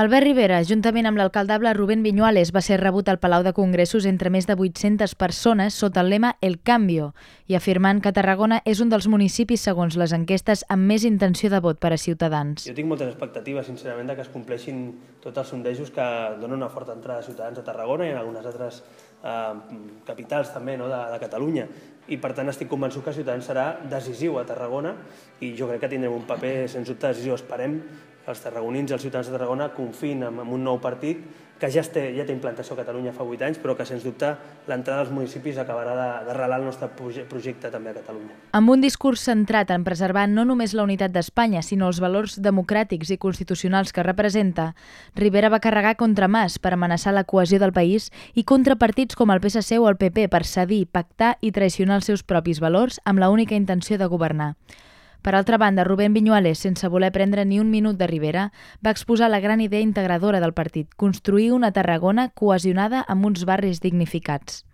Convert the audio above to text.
Albert Rivera, juntament amb l'alcaldable Rubén Viñuales, va ser rebut al Palau de Congressos entre més de 800 persones sota el lema El Cambio i afirmant que Tarragona és un dels municipis, segons les enquestes, amb més intenció de vot per a Ciutadans. Jo tinc moltes expectatives, sincerament, que es compleixin tots els sondejos que donen una forta entrada de Ciutadans a Tarragona i en algunes altres capitals també de Catalunya. I per tant estic convençut que Ciutadans serà decisiu a Tarragona i jo crec que tindrem un paper sens dubte decisiu. Esperem que els tarragonins i els ciutadans de Tarragona confiïn en un nou partit que ja té implantació a Catalunya fa 8 anys, però que sens dubte l'entrada als municipis acabarà d'arrelar el nostre projecte també a Catalunya. Amb un discurs centrat en preservar no només la unitat d'Espanya, sinó els valors democràtics i constitucionals que representa, Rivera va carregar contra Mas per amenaçar la cohesió del país i contra partits com el PSC o el PP per cedir, pactar i traicionar els seus propis valors amb l'única intenció de governar. Per altra banda, Rubén Viñuales, sense voler prendre ni un minut de Rivera, va exposar la gran idea integradora del partit, construir una Tarragona cohesionada amb uns barris dignificats.